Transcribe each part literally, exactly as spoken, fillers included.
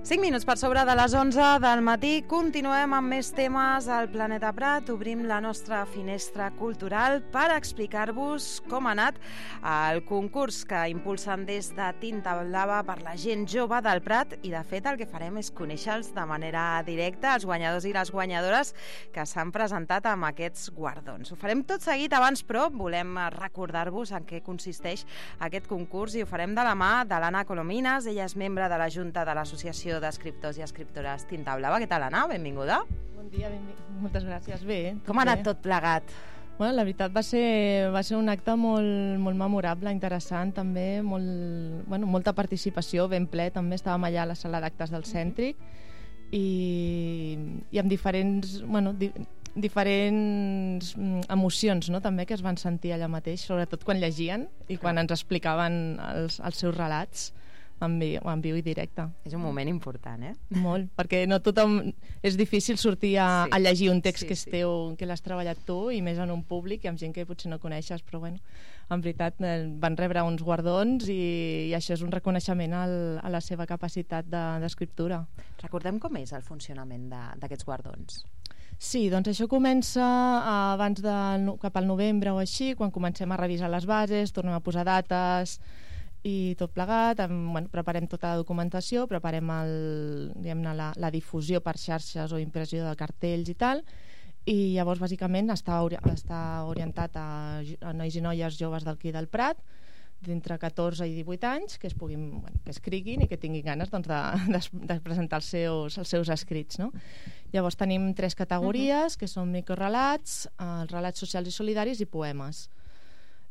cinc minuts per sobre de les onze del matí, continuem amb més temes al Planeta Prat. Obrim la nostra finestra cultural per explicar-vos com ha anat el concurs que impulsen des de Tinta Blava per la gent jove del Prat, i de fet el que farem és conèixer-los de manera directa, els guanyadors i les guanyadores que s'han presentat amb aquests guardons. Ho farem tot seguit, abans però volem recordar-vos en què consisteix aquest concurs, i ho farem de la mà de l'Anna Colomines. Ella és membre de la Junta de l'Associació d'Escriptors i Escriptores Tinta Blava. Què tal, Anna? Benvinguda. Bon dia, benvinguda. Moltes gràcies. Bé. Com ha anat tot plegat? Bueno, la veritat va ser, va ser un acte molt, molt memorable, interessant també, molt, bueno, molta participació, ben ple, també estàvem allà a la sala d'actes del Cèntric i, i amb diferents, bueno, di, diferents emocions, no?, també, que es van sentir allà mateix, sobretot quan llegien i quan ens explicaven els, els seus relats en viu, en viu i directe. És un moment important, eh? Molt, perquè no tothom... És difícil sortir a, sí, a llegir un text sí, que és teu, que l'has treballat tu, i més en un públic i amb gent que potser no coneixes, però bueno, en veritat van rebre uns guardons i, i això és un reconeixement al, a la seva capacitat d'escriptura. De, Recordem com és el funcionament d'aquests guardons. Sí, doncs això comença abans de, cap al novembre o així, quan comencem a revisar les bases, tornem a posar dates i tot plegat, bueno, preparem tota la documentació, preparem el, diguem-ne, la, la difusió per xarxes o impressió de cartells i tal, i llavors bàsicament està, ori està orientat a, a nois i noies joves d'aquí del Prat, d'entre catorze i divuit anys, que es puguin, bueno, que escriguin i que tinguin ganes, doncs, de, de, de presentar els seus, els seus escrits, no? Llavors tenim tres categories, que són microrelats, els relats socials i solidaris i poemes.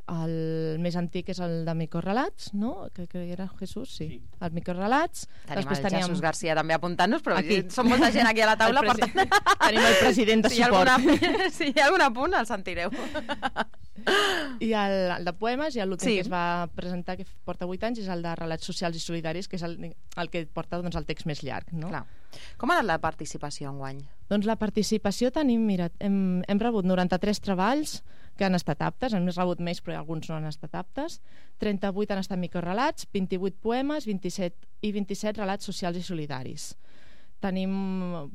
El més antic és el de microrelats, no? Que, que era Jesús, sí. sí. Els microrelats. Tenim Després el teníem... Jesús García també apuntant-nos, però aquí som molta gent aquí a la taula, per tant... Tenim el president de si suport. Alguna... Si hi ha algun apunt, el sentireu. I el, el de poemes, i l'últim sí. que es va presentar, que porta vuit anys, és el de relats socials i solidaris, que és el, el que porta, doncs, el text més llarg, no? Clar. Com ha anat la participació enguany? Doncs la participació tenim, mira, hem, hem rebut noranta-tres treballs que han estat aptes, hem rebut més però alguns no han estat aptes, trenta-vuit han estat microrelats, vint-i-vuit poemes, vint-i-set i vint-i-set relats socials i solidaris. Tenim,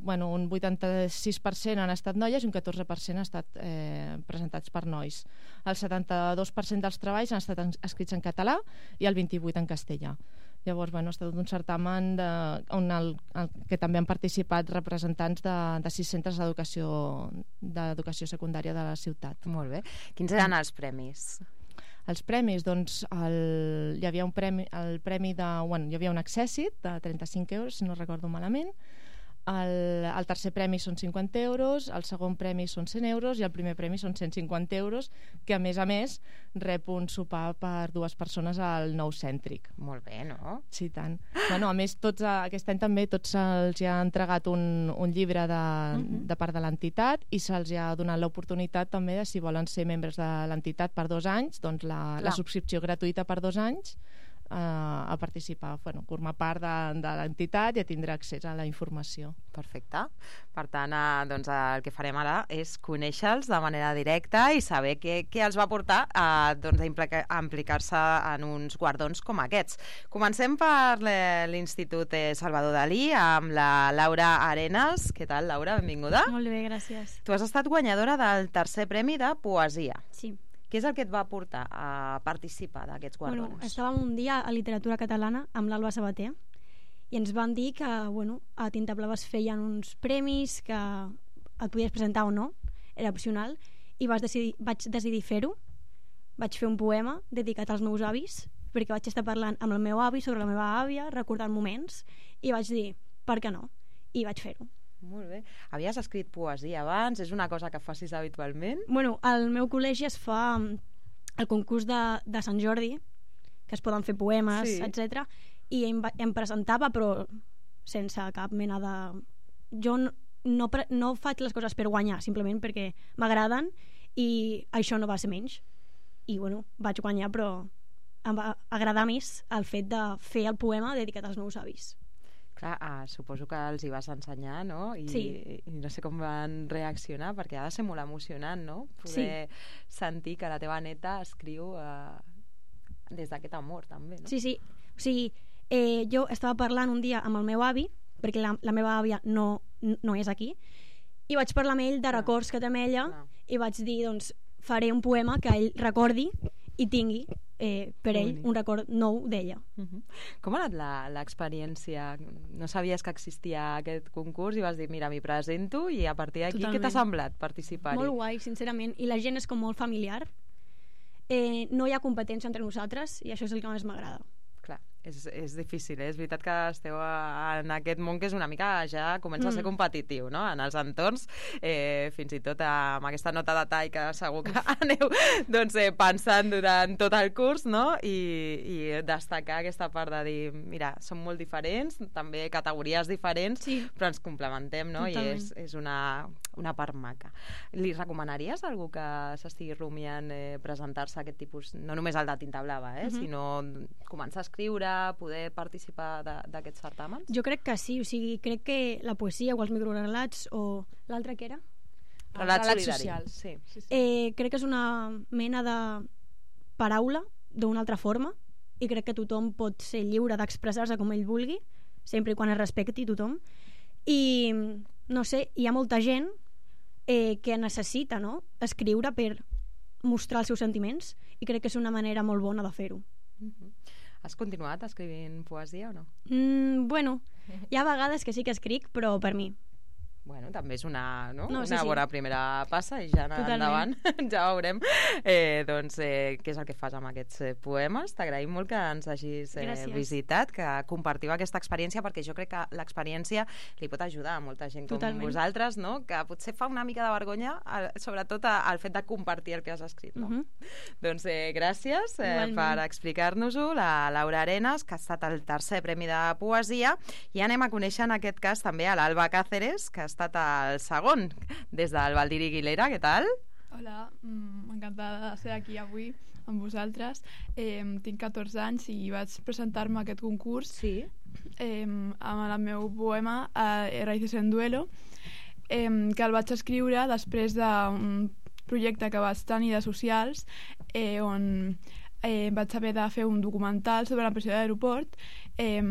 bueno, un vuitanta-sis per cent han estat noies i un catorze per cent han estat eh, presentats per nois. El setanta-dos per cent dels treballs han estat escrits en català i el vint-i-vuit en castellà. Llavors, bueno, ha estat un certamen de, on el, el, que també han participat representants de, de sis centres d'educació d'educació secundària de la ciutat. Molt bé. Quins eren els premis? Els premis, doncs, el, hi havia un premi, el premi de, bueno, hi havia un accèssit de trenta-cinc euros, si no recordo malament. El, el tercer premi són cinquanta euros, el segon premi són cent euros i el primer premi són cent cinquanta euros, que a més a més rep un sopar per dues persones al Nou Cèntric. Molt bé, no? Sí, tant. Bueno, a més, tots, aquest any també tots se'ls ha entregat un, un llibre de, uh-huh. de part de l'entitat, i se'ls ha donat l'oportunitat també de, si volen ser membres de l'entitat per dos anys, doncs la, la subscripció gratuïta per dos anys a participar, bueno, formar part de, de l'entitat i a tindre accés a la informació. Perfecte. Per tant, eh, doncs, el que farem ara és conèixer-los de manera directa i saber què, què els va portar a, doncs, a implicar-se en uns guardons com aquests. Comencem per l'Institut Salvador Dalí amb la Laura Arenas. Què tal, Laura? Benvinguda. Molt bé, gràcies. Tu has estat guanyadora del tercer premi de poesia. Sí. Què és el que et va portar a participar d'aquests guardons? Bueno, estàvem un dia a literatura catalana amb l'Alba Sabater i ens van dir que, bueno, a Tinta Blava es feien uns premis que et podies presentar o no, era opcional, i vaig decidir, vaig decidir fer-ho. Vaig fer un poema dedicat als meus avis, perquè vaig estar parlant amb el meu avi sobre la meva àvia, recordant moments, i vaig dir, per què no? I vaig fer-ho. Molt bé. Havies escrit poesia abans? És una cosa que facis habitualment? Bueno, al meu col·legi es fa el concurs de, de Sant Jordi, que es poden fer poemes, sí. etcètera. I em, em presentava, però sense cap mena de... Jo no, no, no faig les coses per guanyar, simplement perquè m'agraden, i això no va ser menys. I, bueno, vaig guanyar, però em va agradar més el fet de fer el poema dedicat als meus avis. Clar, ah, suposo que els hi vas ensenyar, no? I, sí. I no sé com van reaccionar, perquè ha de ser molt emocionant, no? Poder sí. sentir que la teva neta escriu eh, des d'aquest amor, també, no? Sí, sí. O sigui, eh, jo estava parlant un dia amb el meu avi perquè la, la meva àvia no, no és aquí, i vaig parlar amb ell de records que té amb ella, Clar. i vaig dir, doncs, faré un poema que ell recordi i tingui eh, per ell un record nou d'ella. Uh-huh. Com ha anat la- l'experiència? No sabies que existia aquest concurs i vas dir, mira, m'hi presento, i a partir d'aquí, què Totalment. t'ha semblat participar-hi? Molt guai, sincerament, i la gent és com molt familiar. Eh, no hi ha competència entre nosaltres i això és el que més m'agrada. Clar, és, és difícil, eh? És veritat que esteu a, en aquest món que és una mica, ja comença a ser Mm. competitiu, no? En els entorns, eh, fins i tot amb aquesta nota de tall que segur que aneu doncs, eh, pensant durant tot el curs, no? I, i destacar aquesta part de dir, mira, som molt diferents, també categories diferents, Sí. però ens complementem, no? Totalment. I és, és una, una part maca. Li recomanaries a algú que s'estigui rumiant eh, presentar-se a aquest tipus, no només el de tinta blava, eh? Mhm. Sinó començar a escriure, poder participar de- d'aquests certàmens? Jo crec que sí, o sigui, crec que la poesia o els microrelats o l'altre que era, Relats relats solidaris. socials. Sí. Sí, sí. eh, crec que és una mena de paraula d'una altra forma i crec que tothom pot ser lliure d'expressar-se com ell vulgui, sempre i quan es respecti tothom. I, no sé, hi ha molta gent eh, que necessita, no?, escriure per mostrar els seus sentiments i crec que és una manera molt bona de fer-ho. Mhm. Has continuat escrivint poesia o no? Mm, bueno, hi ha vegades que sí que escric, però per mi. Bueno, també és una, no? No, sí, una sí. bona primera passa i ja Totalment. endavant ja veurem eh, doncs, eh, què és el que fas amb aquests eh, poemes. T'agraïm molt que ens hagis eh, Gràcies. visitat, que compartiu aquesta experiència, perquè jo crec que l'experiència li pot ajudar a molta gent com Totalment. vosaltres, no? Que potser fa una mica de vergonya, eh, sobretot eh, el fet de compartir el que has escrit. No? Mhm. Doncs eh, gràcies eh, Igualment. per explicar-nos-ho, la Laura Arenas, que ha estat el tercer premi de poesia, i anem a conèixer en aquest cas també a l'Alba Cáceres, que ha estat el segon, des del Valdiri Guilera. Què tal? Hola, mm, encantada de ser aquí avui amb vosaltres. Eh, tinc catorze anys i vaig presentar-me a aquest concurs Sí. eh, amb el meu poema eh, Raíces en duelo, eh, que el vaig escriure després d'un projecte que vaig tenir de socials, eh, on eh, vaig haver de fer un documental sobre la pressió d'aeroport, eh,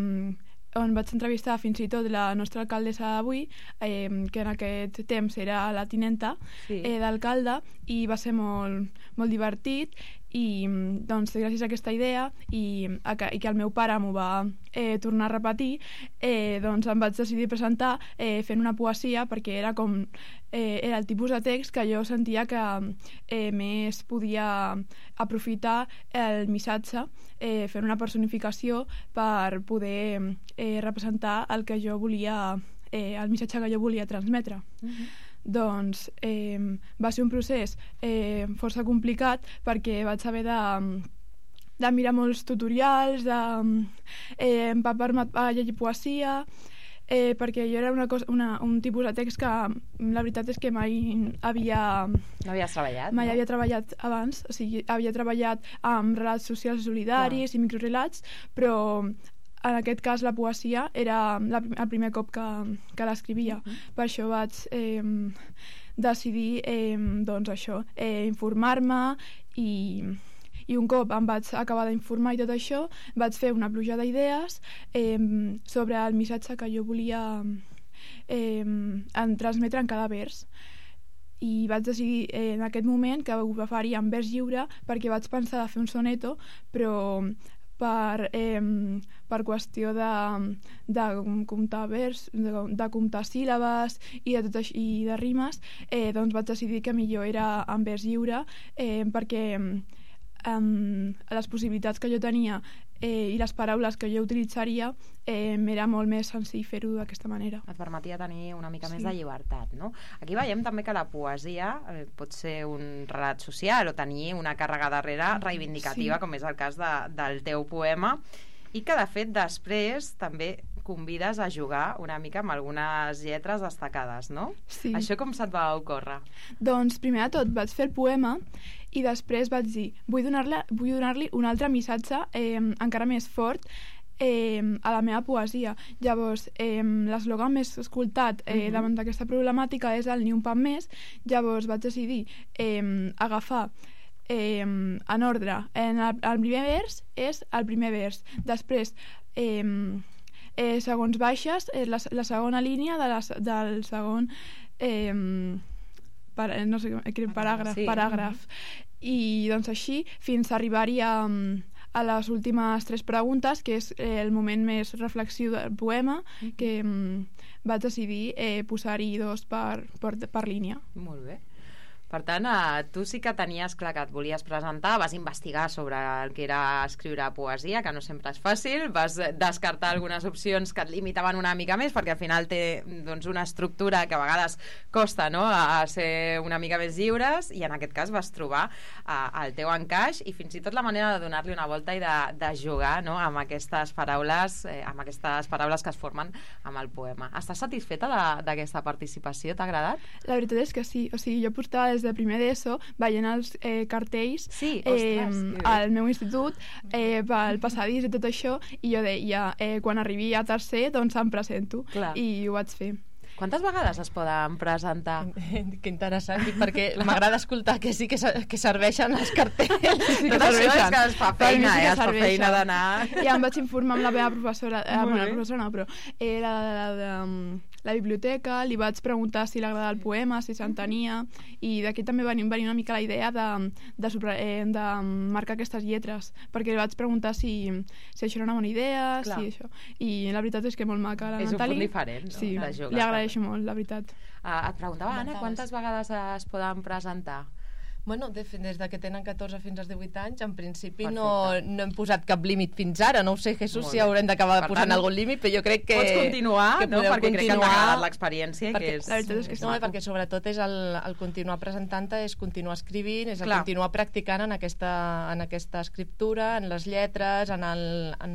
on vaig entrevistar fins i tot la nostra alcaldessa d'avui, eh, que en aquest temps era la tinenta Sí. eh, d'alcalde, i va ser molt, molt divertit, i doncs gràcies a aquesta idea i, a que, i que el meu pare m'ho va eh, tornar a repetir, eh, doncs em vaig decidir presentar eh, fent una poesia, perquè era com eh, era el tipus de text que jo sentia que eh, més podia aprofitar el missatge, eh, fent una personificació per poder eh, representar el que jo volia, eh, el missatge que jo volia transmetre. Mhm. Doncs eh, va ser un procés eh, força complicat, perquè vaig haver de, de mirar molts tutorials, de eh, empapar-me a llegir poesia, eh, perquè jo era una cosa, una, un tipus de text que la veritat és que mai havia, No havies treballat? mai no? havia treballat abans, o sigui, havia treballat amb relats socials solidaris i microrelats, però en aquest cas la poesia era la, el primer cop que, que l'escrivia. Mhm. Per això vaig eh, decidir eh, doncs això, eh, informar-me, i, i un cop em vaig acabar d'informar i tot això, vaig fer una pluja d'idees eh, sobre el missatge que jo volia eh, en transmetre en cada vers. I vaig decidir eh, en aquest moment que ho faria en vers lliure, perquè vaig pensar de fer un soneto, però per, eh, per qüestió de, de comptar vers, de, de comptar síl·labes i de, tot això, i de rimes, eh, doncs vaig decidir que millor era en vers lliure, eh, perquè eh, les possibilitats que jo tenia eh, i les paraules que jo utilitzaria eh, m'era molt més senzill fer-ho d'aquesta manera. Et permetia tenir una mica Sí. més de llibertat, no? Aquí veiem també que la poesia eh, pot ser un relat social o tenir una càrrega darrere reivindicativa, Sí. com és el cas de, del teu poema, i que de fet després també convides a jugar una mica amb algunes lletres destacades, no? Sí. Això com se't va ocórrer? Doncs primer de tot vaig fer el poema i després vaig dir vull donar-li vull donar-li un altre missatge eh, encara més fort eh, a la meva poesia. Llavors, eh, l'eslògan més escoltat eh, Mhm. davant d'aquesta problemàtica és el Ni un pan més. Llavors vaig decidir eh, agafar eh, en ordre. En el, el primer vers és el primer vers. Després eh, eh, segons baixes, eh, la, la segona línia de la, del segon eh, per, no sé, paràgraf, sí. paràgraf. I doncs així fins a arribar-hi a, a les últimes tres preguntes, que és eh, el moment més reflexiu del poema, que mm, vaig decidir eh, posar-hi dos per, per, per línia. Molt bé. Per tant, eh, tu sí que tenies clar que et volies presentar, vas investigar sobre el que era escriure poesia, que no sempre és fàcil, vas descartar algunes opcions que et limitaven una mica més, perquè al final té doncs, una estructura que a vegades costa, no?, a ser una mica més lliures, i en aquest cas vas trobar eh, el teu encaix i fins i tot la manera de donar-li una volta i de, de jugar, no?, amb aquestes paraules, eh, amb aquestes paraules que es formen amb el poema. Estàs satisfeta d'aquesta participació? T'ha agradat? La veritat és que sí, o sigui, jo portava des de primer d'ESO veient els eh, cartells sí, eh, ostres, al meu institut eh, pel passadís i tot això, i jo deia, eh, quan arribi a tercer doncs em presento. Clar. I ho vaig fer. Quantes vegades es poden presentar? Que interessant, perquè m'agrada escoltar que sí que, que serveixen els cartells. Sí, que serveixen. Que es fa feina, sí eh? Es fa feina d'anar... Ja em vaig informar amb la meva professora, eh, bueno, la professora no, però era la, la, la, la, la biblioteca, li vaig preguntar si li agradava el poema, si s'entenia, i d'aquí també va venir una mica la idea de, de, sobre, eh, de marcar aquestes lletres, perquè li vaig preguntar si, si això era una bona idea, Clar. si això... I la veritat és que molt maca. La és Natali, un punt diferent, no? Sí, de jugar. Li agraeixo molt, la veritat. Uh, et preguntava, Anna, quantes vegades es poden presentar? Bueno, des de que tenen catorze fins als divuit anys, en principi no, no hem posat cap límit fins ara. No ho sé, Jesús, si haurem d'acabar posant tant, algun límit, però jo crec que... Pots continuar, que no? Perquè continuar, crec que t'ha agradat l'experiència. Perquè, és... La veritat és que no, és perquè sobretot és el, el continuar presentant-te, és continuar escrivint, és el Clar. continuar practicant en aquesta, en aquesta escriptura, en les lletres, en, el, en,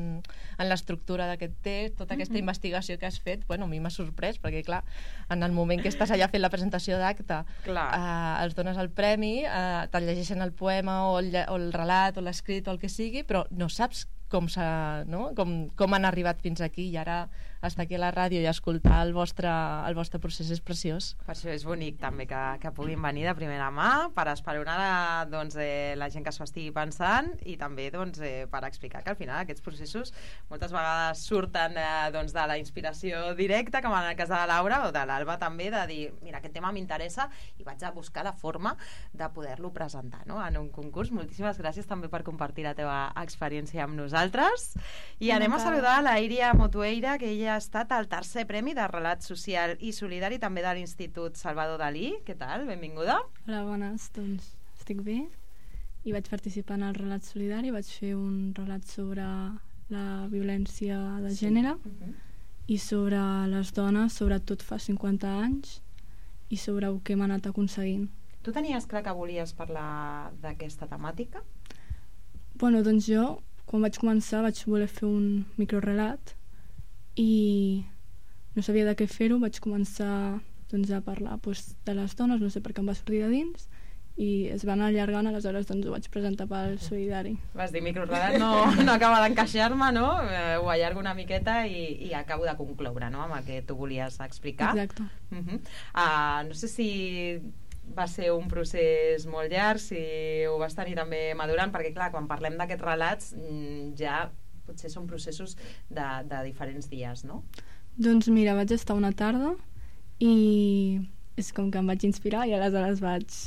en l'estructura d'aquest text, tota aquesta mm-hmm. investigació que has fet. Bueno, a mi m'ha sorprès, perquè clar, en el moment que estàs allà fent la presentació d'acte, eh, els dones el premi, eh, te'l llegeixen el poema o el, o el relat o l'escrit o el que sigui, però no saps com, no? com, com han arribat fins aquí, i ara estar aquí a la ràdio i escoltar el vostre, el vostre procés és preciós. Per això és bonic també que, que puguin venir de primera mà per esperonar doncs, eh, la gent que s'ho estigui pensant, i també doncs, eh, per explicar que al final aquests processos moltes vegades surten eh, doncs, de la inspiració directa, com en el cas de la Laura o de l'Alba també, de dir, mira, aquest tema m'interessa i vaig a buscar la forma de poder-lo presentar, no?, en un concurs. Moltíssimes gràcies també per compartir la teva experiència amb nosaltres, i anem a saludar la Iria Motueira, que ella ha estat al tercer premi de relat social i solidari també de l'Institut Salvador Dalí. Què tal? Benvinguda. Hola, bones. Doncs estic bé i vaig participar en el relat solidari. Vaig fer un relat sobre la violència de sí. gènere uh-huh. i sobre les dones, sobretot fa cinquanta anys, i sobre el que hem anat aconseguint. Tu tenies clar que volies parlar d'aquesta temàtica? Bueno, doncs jo, quan vaig començar, vaig voler fer un microrelat i no sabia de què fer-ho. Vaig començar doncs, a parlar doncs, de les dones, no sé per què em va sortir de dins, i es van allargant, aleshores doncs, ho vaig presentar pel solidari. Vas dir, microrelat no, no acaba d'encaixar-me, no? Eh, ho allargo una miqueta i, i acabo de concloure, no?, amb el que tu volies explicar. Exacte. Uh-huh. uh, no sé si va ser un procés molt llarg, si ho vas tenir també madurant, perquè clar, quan parlem d'aquests relats ja potser són processos de, de diferents dies, no? Doncs mira, vaig estar una tarda i és com que em vaig inspirar, i aleshores vaig,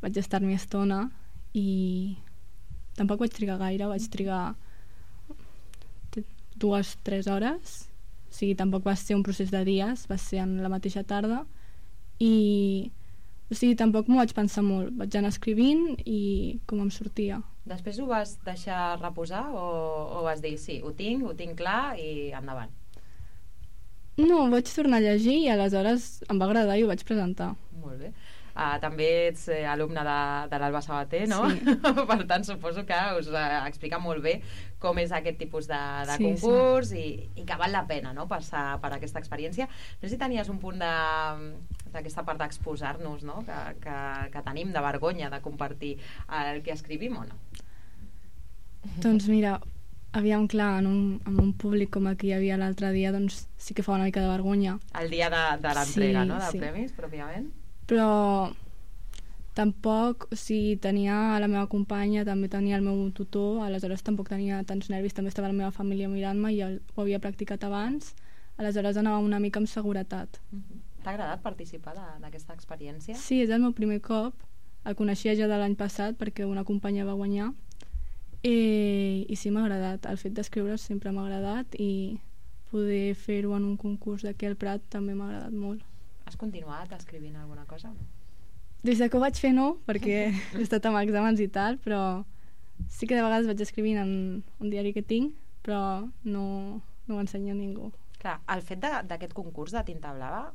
vaig estar-m'hi estona, i tampoc vaig trigar gaire, vaig trigar dues, tres hores, o sigui, tampoc va ser un procés de dies, va ser en la mateixa tarda, i o sigui, tampoc m'ho vaig pensar molt, vaig anar escrivint i com em sortia. Després ho vas deixar reposar o, o vas dir, sí, ho tinc, ho tinc clar i endavant? No, vaig tornar a llegir i aleshores em va agradar i ho vaig presentar. Molt bé. Uh, també ets eh, alumne de, de l'Alba Sabater, no? Sí. Per tant, suposo que us uh, explica molt bé com és aquest tipus de, de sí, concurs sí. I, i que val la pena, no?, passar per aquesta experiència. No sé si tenies un punt de d'aquesta part d'exposar-nos, no?, que, que, que tenim de vergonya de compartir el que escrivim o no? Doncs mira, aviam, clar, en un, en un públic com el que hi havia l'altre dia, doncs sí que fa una mica de vergonya. El dia de, de l'entrega, sí, no?, de sí. premis, pròpiament. Però tampoc, o sigui, tenia la meva companya, també tenia el meu tutor, aleshores tampoc tenia tants nervis, també estava la meva família mirant-me i el, ho havia practicat abans, aleshores anava una mica amb seguretat. T'ha agradat participar d'aquesta experiència? Sí, és el meu primer cop, el coneixia ja de l'any passat perquè una companya va guanyar i, i sí, m'ha agradat, el fet d'escriure sempre m'ha agradat i poder fer-ho en un concurs d'aquí al Prat també m'ha agradat molt. Has continuat escrivint alguna cosa o no? Des que ho vaig fer no, perquè he estat amb exàmens i tal, però sí que de vegades vaig escrivint en un diari que tinc, però no, no ho ensenyo a ningú. Clar, el fet d'aquest concurs de Tinta Blava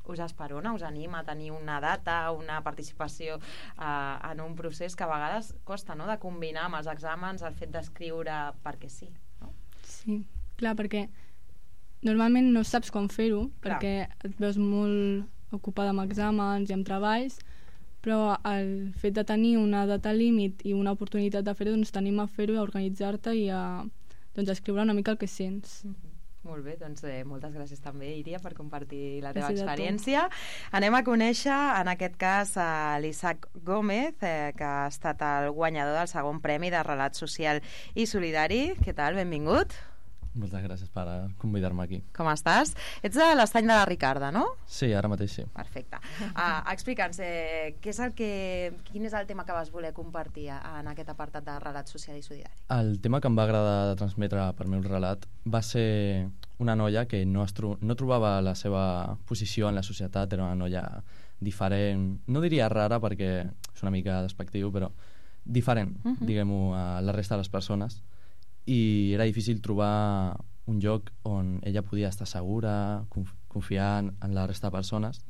us esperona, us anima a tenir una data, una participació eh, en un procés que a vegades costa, no?, de combinar amb els exàmens el fet d'escriure perquè sí, no? Sí, clar, perquè normalment no saps com fer-ho, perquè et veus molt ocupada amb exàmens i amb treballs, però el fet de tenir una data límit i una oportunitat de fer-ho, doncs t'anima a fer-ho, a organitzar-te i a doncs, a escriure una mica el que sents. Mm-hmm. Molt bé, doncs eh, moltes gràcies també, Iria, per compartir la teva Gràcies experiència. Anem a conèixer, en aquest cas, a l'Isaac Gómez, eh, que ha estat el guanyador del segon premi de relat social i solidari. Què tal? Benvingut. Moltes gràcies per convidar-me aquí. Com estàs? Ets de l'estany de la Ricarda, no? Sí, ara mateix sí. Perfecte. Uh, Explica'ns, eh, què és el que, quin és el tema que vas voler compartir en aquest apartat de relat social i solidari? El tema que em va agradar de transmetre per meu relat va ser una noia que no, es tro no trobava la seva posició en la societat, era una noia diferent, no diria rara perquè és una mica despectiu, però diferent, uh -huh. diguem-ho, a la resta de les persones. I era difícil trobar un lloc on ella podia estar segura, conf confiar en, en la resta de persones.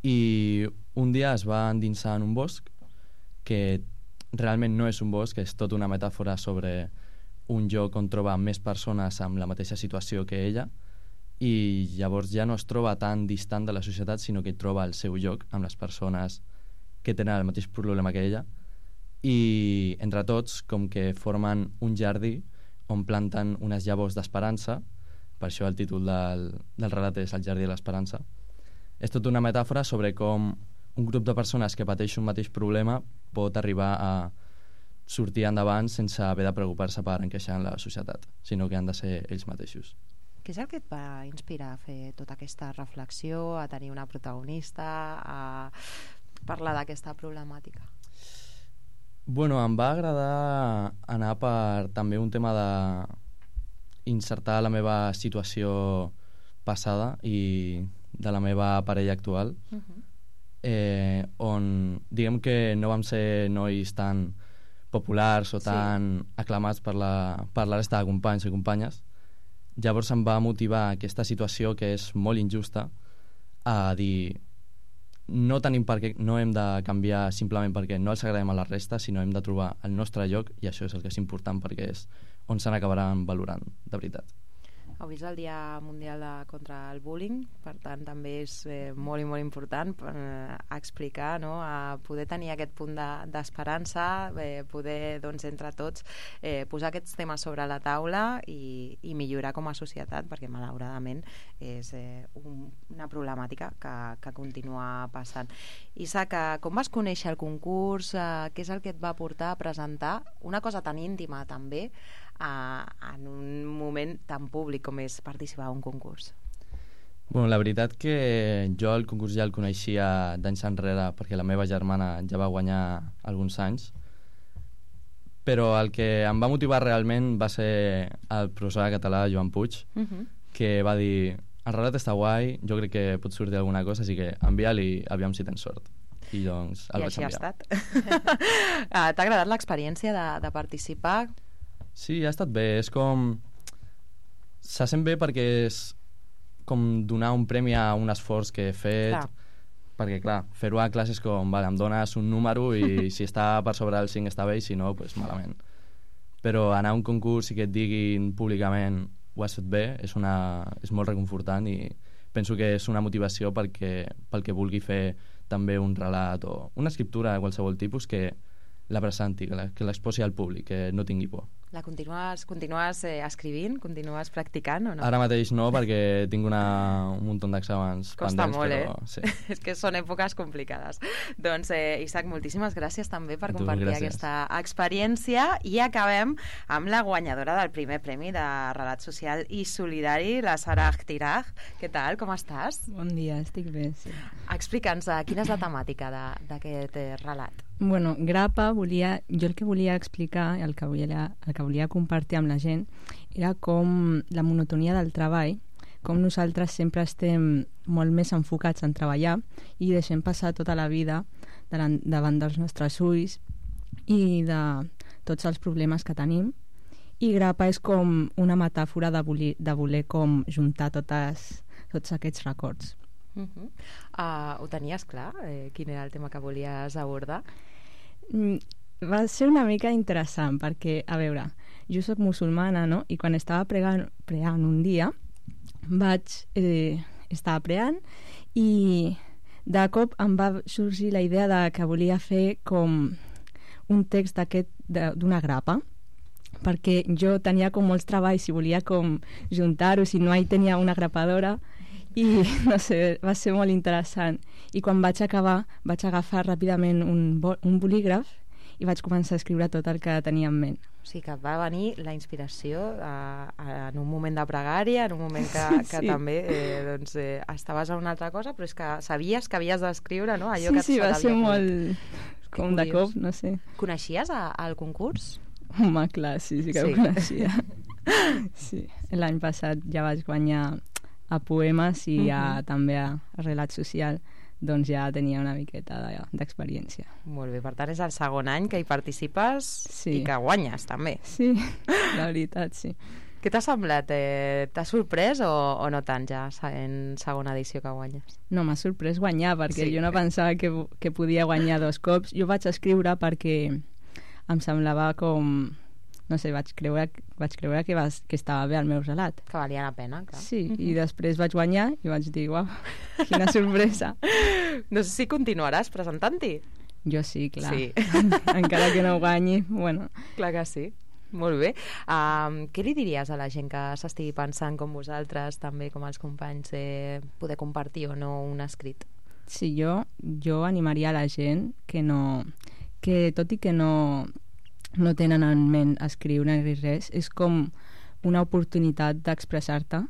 I un dia es va endinsar en un bosc que realment no és un bosc, és tota una metàfora sobre un lloc on troba més persones amb la mateixa situació que ella, i llavors ja no es troba tan distant de la societat, sinó que troba el seu lloc amb les persones que tenen el mateix problema que ella, i entre tots com que formen un jardí on planten unes llavors d'esperança, per això el títol del, del relat és El jardí de l'esperança. És tota una metàfora sobre com un grup de persones que pateix un mateix problema pot arribar a sortir endavant sense haver de preocupar-se per encaixar en la societat, sinó que han de ser ells mateixos. Què és el que et va inspirar a fer tota aquesta reflexió, a tenir una protagonista, a parlar d'aquesta problemàtica? Bueno, em va agradar anar per també un tema de insertar la meva situació passada i de la meva parella actual, uh-huh. eh, on diguem que no vam ser nois tan populars o tan sí. aclamats per la, per la resta de companys i companyes. Llavors em va motivar aquesta situació que és molt injusta a dir no tenim per què, no hem de canviar simplement perquè no els agradem a la resta, sinó hem de trobar el nostre lloc, i això és el que és important perquè és on se n'acabaran valorant de veritat. Avui és el Dia Mundial de, contra el Bullying, per tant també és eh, molt i molt important eh, explicar, no?, a poder tenir aquest punt d'esperança, de, eh, poder, doncs, entre tots eh, posar aquests temes sobre la taula i, i millorar com a societat, perquè malauradament és eh, un, una problemàtica que, que continua passant. Isaac, com vas conèixer el concurs? Eh, què és el que et va portar a presentar una cosa tan íntima també Uh, en un moment tan públic com és participar a un concurs? Bueno, la veritat que jo el concurs ja el coneixia d'anys enrere perquè la meva germana ja va guanyar alguns anys, però el que em va motivar realment va ser el professor de català, Joan Puig, uh-huh. que va dir: el relat està guai, jo crec que pot sortir alguna cosa, així que envia-li, aviam si tens sort. I doncs el I vaig enviar. I així ha estat. T'ha agradat l'experiència de, de participar? Sí, ha estat bé. És com... Se sent bé perquè és com donar un premi a un esforç que he fet. Clar. Perquè, clar, fer-ho a classe és com, vale, em dones un número i si està per sobre el cinc està bé i si no, doncs malament. Però anar a un concurs i que et diguin públicament ho has fet bé és, una, és molt reconfortant i penso que és una motivació perquè, pel que vulgui fer també un relat o una escriptura de qualsevol tipus, que la presenti, que l'exposi al públic, que no tingui por. La continues, continues eh, escrivint? Continues practicant o no? Ara mateix no, perquè tinc una, un munt d'exàmens Costa pendents, molt, però... eh? Sí. És que són èpoques complicades. Doncs, eh, Isaac, moltíssimes gràcies també per Tu, compartir gràcies. aquesta experiència i acabem amb la guanyadora del primer premi de Relat Social i Solidari, la Sara Tiraj. Què tal? Com estàs? Bon dia, estic bé, sí. Explica'ns, eh, quina és la temàtica de- d'aquest eh, relat? Bueno, Grapa volia... Jo el que volia explicar, el que volia, el que volia compartir amb la gent, era com la monotonia del treball, com nosaltres sempre estem molt més enfocats en treballar i deixem passar tota la vida davant, davant dels nostres ulls i de tots els problemes que tenim. I Grapa és com una metàfora de voler, de voler com juntar totes, tots aquests records. Uh -huh. uh, ho tenies clar? Eh, quin era el tema que volies abordar? Mm, va ser una mica interessant perquè, a veure, jo sóc musulmana, no? I quan estava pregant, pregant un dia vaig eh, estava pregant i de cop em va sorgir la idea de que volia fer com un text d'aquest d'una grapa, perquè jo tenia com molts treballs i volia com juntar-ho, si no hi tenia una grapadora i no sé, va ser molt interessant. I quan vaig acabar vaig agafar ràpidament un, bo, un bolígraf i vaig començar a escriure tot el que tenia en ment. O sigui que et va venir la inspiració a, a, en un moment de pregària, en un moment que, que Sí. també eh, doncs, eh, estaves a una altra cosa, però és que sabies que havies d'escriure, no? Allò Sí, que sí, se va t'havia ser acudit. molt... Que com de curiós. cop, no sé. Coneixies a, al concurs? Home, clar, sí, sí que Sí. ho coneixia. Sí, l'any passat ja vaig guanyar a poemes i a, Mhm. també a, a relat social, doncs ja tenia una miqueta de- d'experiència. Molt bé, per tant és el segon any que hi participes Sí. i que guanyes també. Sí, la veritat, sí. Què t'ha semblat? Eh, T'ha sorprès o, o no tant ja en segona edició que guanyes? No, m'ha sorprès guanyar, perquè Sí. jo no pensava que, que podia guanyar dos cops. Jo vaig escriure perquè em semblava com... No sé, vaig creure, vaig creure que, vas, que estava bé el meu relat. Que valia la pena, clar. Sí, i després vaig guanyar i vaig dir, uau, quina sorpresa. No sé si continuaràs presentant-hi. Jo sí, clar. Sí. Encara que no guanyi, bueno. Clar que sí. Molt bé. Um, què li diries a la gent que s'estigui pensant com vosaltres, també com els companys, eh, poder compartir o no un escrit? Sí, jo, jo animaria a la gent que no... que tot i que no, no tenen en ment escriure ni res, és com una oportunitat d'expressar-te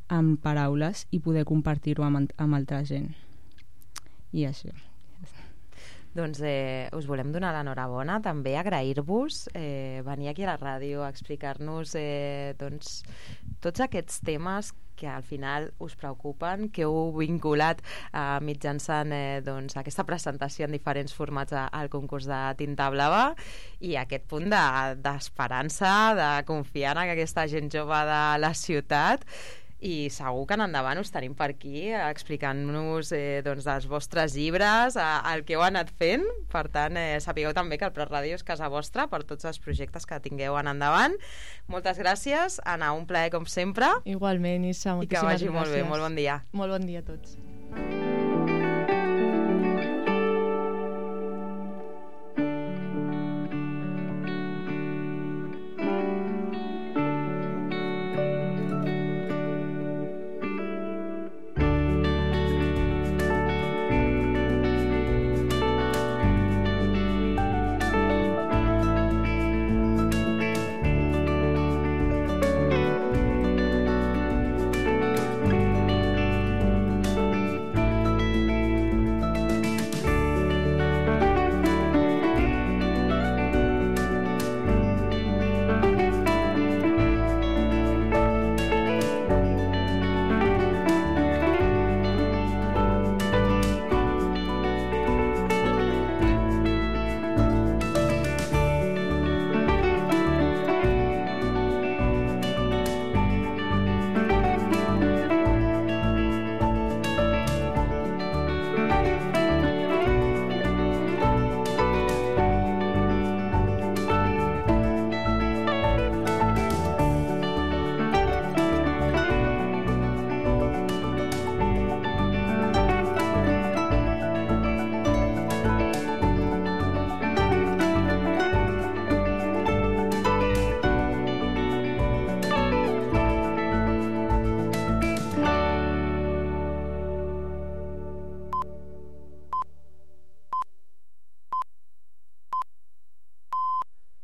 amb paraules i poder compartir-ho amb, amb altra gent. I això. Doncs eh, us volem donar l'enhorabona, també agrair-vos eh, venir aquí a la ràdio a explicar-nos eh, doncs, tots aquests temes que al final us preocupen, que heu vinculat eh, mitjançant eh, doncs, aquesta presentació en diferents formats a, al concurs de Tinta Blava i aquest punt de- d'esperança, de confiar en aquesta gent jove de la ciutat. I segur que en endavant us tenim per aquí eh, explicant-nos eh, doncs, dels vostres llibres, eh, el que heu anat fent. Per tant, eh, sapigueu també que el Prat Ràdio és casa vostra per tots els projectes que tingueu en endavant. Moltes gràcies, Anna, un plaer com sempre. Igualment, Issa, I que moltíssimes vagi gràcies. molt bé, molt bon dia. Molt bon dia a tots.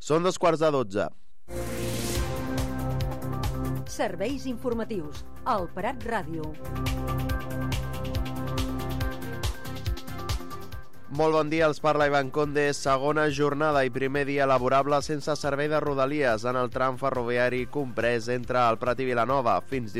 Són dos quarts de dotze. Serveis informatius. El Prat Ràdio. Molt bon dia, els parla Ivan Conde. Segona jornada i primer dia laborable sense servei de Rodalies en el tram ferroviari comprès entre el Prat i Vilanova. Fins